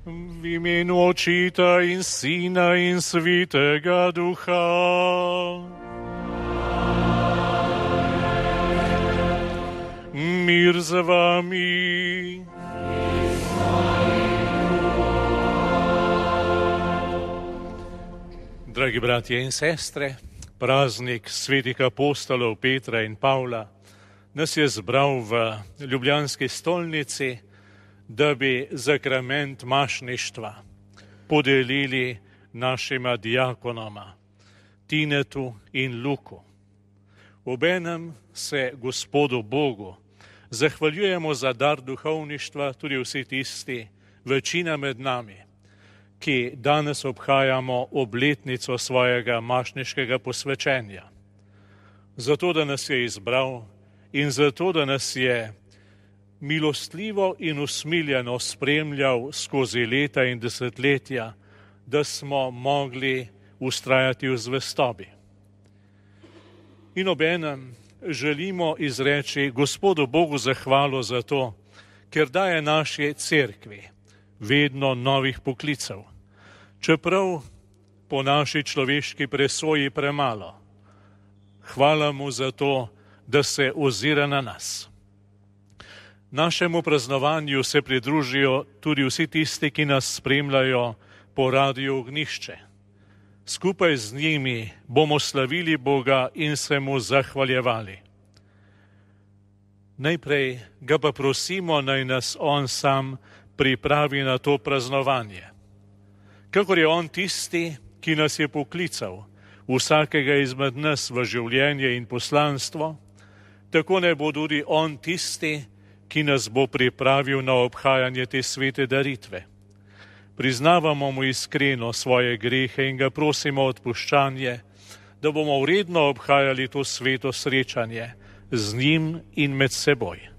V imenu Očeta in Sina in Svetega Duha. Mir z vami. Dragi bratje in sestre, praznik svetih apostolov Petra in Pavla nas je zbral v ljubljanski stolnici, da bi zakrament mašništva podelili našima diakonoma, Tinetu in Luku. Obenem se Gospodu Bogu zahvaljujemo za dar duhovništva tudi vsi tisti, večina med nami, ki danes obhajamo obletnico svojega mašniškega posvečenja. Zato, da nas je izbral in zato, da nas je milostljivo in usmiljeno spremljal skozi leta in desetletja, da smo mogli vztrajati v zvestobi. In obenem želimo izreči Gospodu Bogu zahvalo za to, ker daje naši cerkvi vedno novih poklicev, čeprav po naši človeški presoji premalo. Hvala mu za to, da se ozira na nas. Našemu praznovanju se pridružijo tudi vsi tisti, ki nas spremljajo po Radiu Ognjišče. Skupaj z njimi bomo slavili Boga in se mu zahvaljevali. Najprej ga pa prosimo, naj nas on sam pripravi na to praznovanje. Kakor je on tisti, ki nas je poklical, vsakega izmed nas v življenje in poslanstvo, tako ne bo tudi on tisti, ki nas bo pripravil na obhajanje te svete daritve. Priznavamo mu iskreno svoje grehe in ga prosimo odpuščanje, da bomo vredno obhajali to sveto srečanje z njim in med seboj.